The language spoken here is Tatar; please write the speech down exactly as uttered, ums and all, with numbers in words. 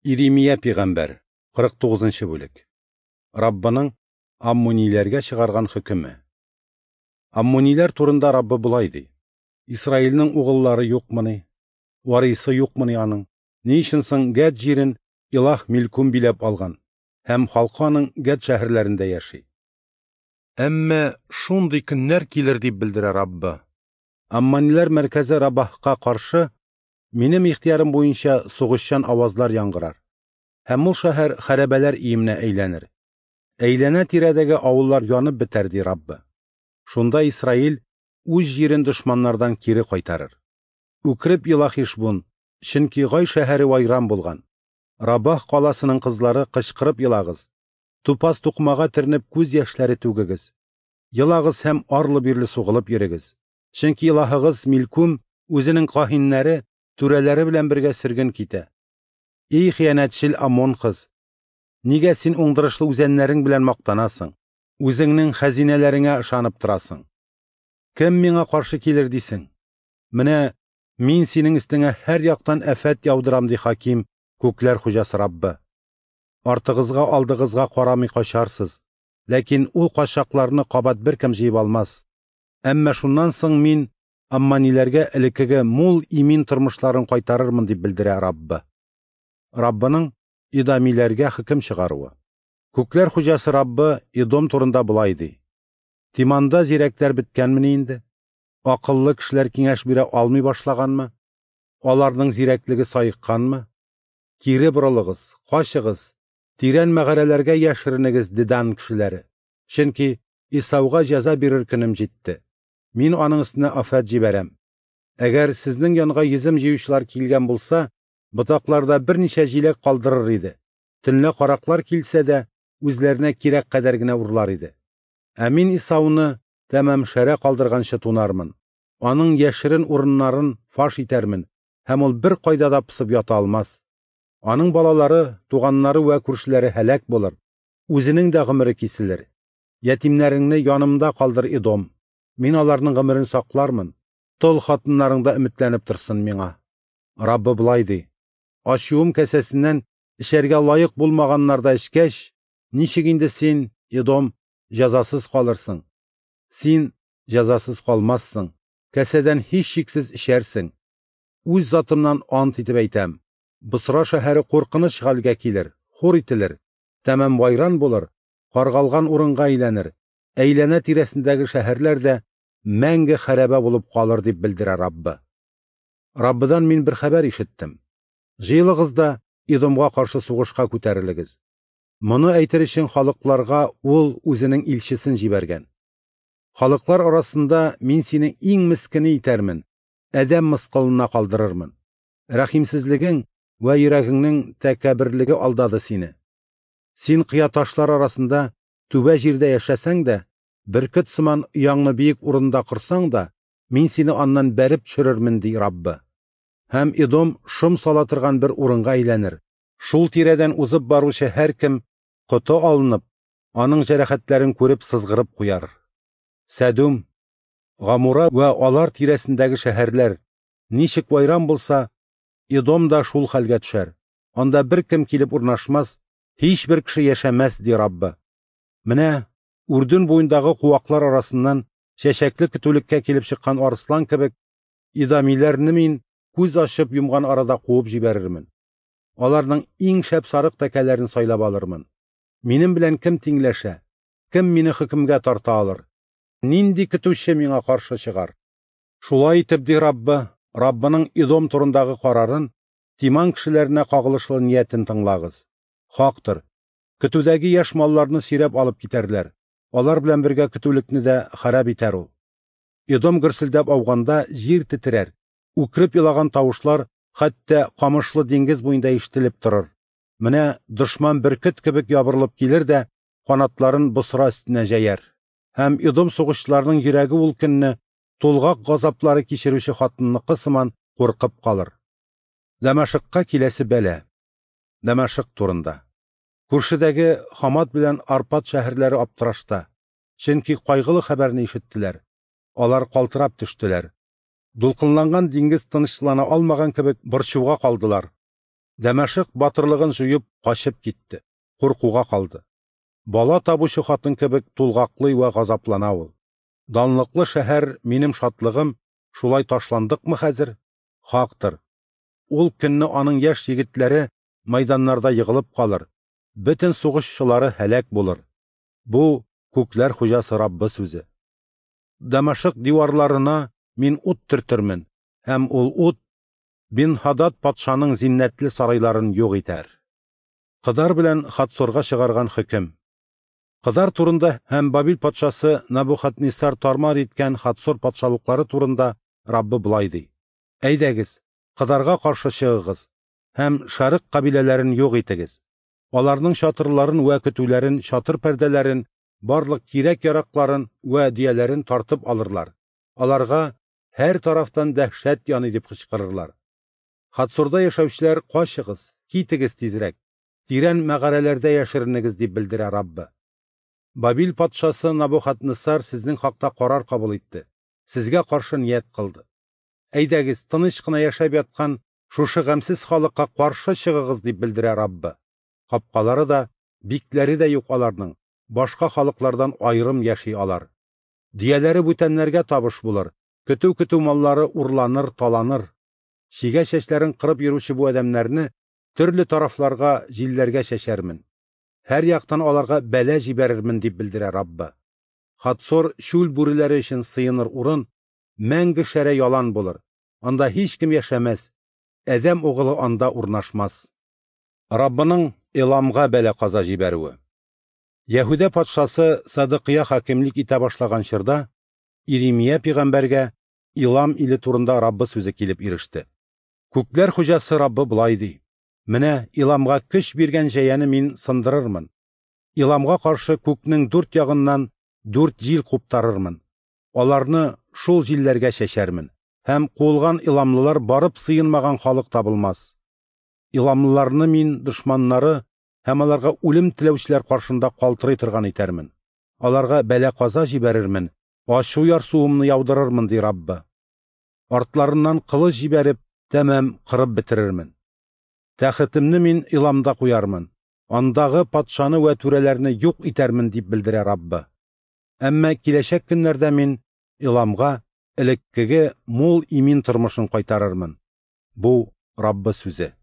Иремия пигамбәр, кырык тугызынчы бүлек. Раббының Аммониләргә чыгарган хөкеме. Аммониләр турында Раббы болай ди: Исраилнең угыллары юкмыни? Варисы юкмыни аның? Ни өчен соң Гәд җирен Илаһ Милкум биләп алган һәм халкы аның Гәд шәһәрләрендә яши? Әмма шундый көннәр килер, дип белдерә Раббы. Аммониләр мәркәзе Рабаһка каршы минем ихтыярым буенча сугышчан авазлар яңгырар, һәм ул шәһәр хәрабәләр өеменә әйләнер. Әйләнә-тирәдәге авыллар янып бетәр, ди Раббы. Шунда Исраил үз җирен дошманнардан кире кайтарыр. Үкереп ела Хишбун, чөнки Гай шәһәре вайран булган. Рабах каласының кызлары, кычкырып елагыз. Тупас тукмага төренеп күз яшьләре түгегез. Елагыз һәм арлы-бирле сугылып йөрегез. Чөнки илаһыгыз Милкум үзенең каһиннәре, түрәләре белән бергә сөрген китә. Эй хыянәтчел Амон кыз, нигә син уңдырышлы үзәннәрең белән мактанасың? Үзеңнең хәзинәләреңә ышанып торасың. Кем миңа каршы килер дисең? Менә мин синең өстеңә һәр яктан афәт яудырам, ди хаким, күкләр хуҗасы Раббы. Артыгызга алдыгызга карамый качарсыз, ләкин ул качакларны кабат беркем җыеп алмас. Әмма шуннан соң мин Аммониләргә элеккеге мул имин тормышларын кайтарырмын, дип белдерә Раббы. Раббының Идамиләргә хөкем чыгаруы. Күкләр хуҗасы Раббы Идом турында болай ди: Тиманда зирәкләр беткәнмени инде? Акыллы кешеләр киңәш бирә алмый башлаганмы? Аларның зирәклеге саекканмы? Кире борылыгыз, качыгыз, тирән мәгарәләргә яшеренегез, Дедан кешеләре. Чөнки Исауга җәза бирер көнем җитте. Мин аның өстенә афәт җибәрәм. Әгәр сезнең янга йөзем җыючылар килгән булса, ботакларда берничә җиләк калдырыр иде. Төнлә караклар килсә дә, үзләренә кирәк кадәр генә урлар иде. Ә мин Исауны тәмам шәрә калдырганчы тунармын. Аның яшерен урыннарын фаш итәрмен, һәм ул бер кайда да пысып ята алмас. Аның балалары, туганнары вә күршеләре һәлак булыр. Үзенең дә гомере киселер. Ятимнәреңне янымда калдыр, Идом. Мин аларның гомерен саклармын. Тол хатыннарың да өметләнеп торсын миңа. Раббы болай ди: Ачуым кәсәсеннән эчәргә лаек булмаганнар да эчкәч, ничек инде син, Идом, җәзасыз калырсың? Син җәзасыз калмассың, кәсәдән һичшиксез эчәрсең. Үз затымнан ант итеп әйтәм: Босра шәһәре куркыныч хәлгә килер, хур ителер, тәмам вайран булыр, каргалган урынга әйләнер. Әйләнә тирәсендәге шәһәрләр дә мәңге хәрабә булып калыр, дип белдерә Раббы. Раббыдан мин бер хәбәр ишеттем. Җыелыгыз да Идомга каршы сугышка күтәрелегез. Моны әйтер өчен халыкларга ул үзенең илчесен җибәргән. Халыклар арасында мин сине иң мескене итәрмен, адәм мыскылына калдырырмын. Рәхимсезлегең вә йөрәгеңнең тәкәбберлеге алдады сине. Син кыя ташлар арасында түбә җирдә яшәсәң дә, бөркет сыман ояңны биек урында корсаң да, мин сине аннан бәреп төшерермен, ди Раббы. Һәм Идом шом сала торган бер урынга әйләнер. Шул тирәдән узып баручы һәркем коты алынып, аның җәрәхәтләрен күреп сызгырып куяр. Сәдүм, Гамура вә алар тирәсендәге шәһәрләр ничек вайран булса, Идом да шул хәлгә төшәр. Анда беркем килеп урнашмас, һичбер кеше яшәмәс, ди Раббы. Менә Үрдүн буендагы куаклар арасыннан чәчәкле көтүлеккә килеп чыккан арыслан кебек, идамиләрне мин күз ачып йомган арада куып җибәрермен. Аларның иң шәп сарык тәкәләрен сайлап алырмын. Минем белән кем тиңләшә? Кем мине хөкемгә тарта алыр? Нинди көтүче миңа каршы чыгар? Шулай итеп, ди Раббы, Раббының Идом турындагы карарын, Тиман кешеләренә кагылышлы ниятен тыңлагыз. Хактыр, көтүдәге яшь малларны сөйрәп алып китәрләр. Алар белән бергә көтүлекне дә харап итәр ул. Идом гөрселдәп ауганда җир тетрәр. Үкереп елаган тавышлар хәтта камышлы диңгез буенда ишетелеп торыр. Менә дошман бөркет кебек ябырылып килер дә канатларын Босра өстенә җәяр. Һәм Идом сугышчыларының йөрәге ул көнне тулгак газаплары кичерүче хатынныкы сыман куркып калыр. Дамашыкка киләсе бәла. Дамашык турында. Күршедәге Хамат белән Арпад шәһәрләре аптырашта, чөнки кайгылы хәбәрне ишеттеләр. Алар калтырап төштеләр. Дулкынланган диңгез тынычлана алмаган кебек борчуга калдылар. Дәмәшык батырлыгын җуеп качып китте, куркуга калды. Бала табучы хатын кебек тулгаклый вә газаплана ул. Данлыклы шәһәр, минем шатлыгым, шулай ташландыкмы хәзер? Хактыр. Ул көнне аның яшь егетләре майданнарда егылып калыр, бөтен сугышчылары һәлак булыр. Бу күкләр хуҗасы Раббы сүзе. Дәмәшык диварларына мин ут төртермен, һәм ул ут Бин-Хадад патшаның зиннәтле сарайларын юк итәр. Кыдар белән Хатсорга чыгарган хөкем. Кыдар турында һәм Бабил патшасы Набухаднисар тармар иткән Хатсор патшалыклары турында Раббы болай ди: Әйдәгез, Кыдарга каршы чыгыгыз һәм шарык кабиләләрен юк итегез. Аларның чатырларын вә көтүләрен, чатыр пәрдәләрен, барлык кирәк-яракларын вә дөяләрен тартып алырлар. Аларга һәр тарафтан дәһшәт яный дип кычкырырлар. Хатсорда яшәүчеләр, качыгыз, китегез тизрәк, тирән мәгарәләрдә яшеренегез дип белдерә Раббы. Бабил патшасы Набухаднисар сезнең хакта карар кабул итте, сезгә каршы ният кылды. Әйдәгез, тыныч кына яшәп яткан шушы гамьсез халыкка каршы чыгыгыз дип белдерә Раббы. Капкалары да, бикләре дә юк аларның, башка халыклардан аерым яши алар. Дөяләре бүтәннәргә табыш булыр, көтү-көтү маллары урланыр, таланыр. Чигә чәчләрен кырып йөрүче бу адәмнәрне төрле тарафларга, җилләргә чәчәрмен. Һәр яктан аларга бәла җибәрермен дип белдерә Раббы. Хатсор чүл бүреләре өчен сыеныр урын, мәңге шәрә ялан булыр. Анда һич кем яшәмәс, адәм угылы анда урнашмас. Раббының Эламга бәла каза җибәрүе. Яһүдә патшасы Садыкыя хакимлек итә башлаган чорда Иремия пәйгамбәргә Илам иле турында Раббы сүзе килеп иреште. Күкләр хуҗасы Раббы болай ди: Менә Иламга көч биргән җәяне мин сындырырмын. Иламга каршы күкнең дүрт ягыннан дүрт җил куптарырмын. Аларны шул җилләргә чәчәрмен, һәм куылган иламлылар барып сыенмаган халык табылмас. Иламлыларны мин дошманнары һәм аларга үлем теләүчеләр каршында калтырый торган итәрмен. Аларга бәла-каза җибәрермен, ачу ярсуымны яудырырмын, ди Раббы. Артларыннан кылыч җибәреп, тәмам кырып бетерермен. Тәхетемне мин Иламда куярмын, андагы патшаны вә түрәләрне юк итәрмен дип белдерә Раббы. Әмма киләчәк көннәрдә мин Иламга элеккеге мул имин тормышын кайтарырмын. Бу Раббы сүзе.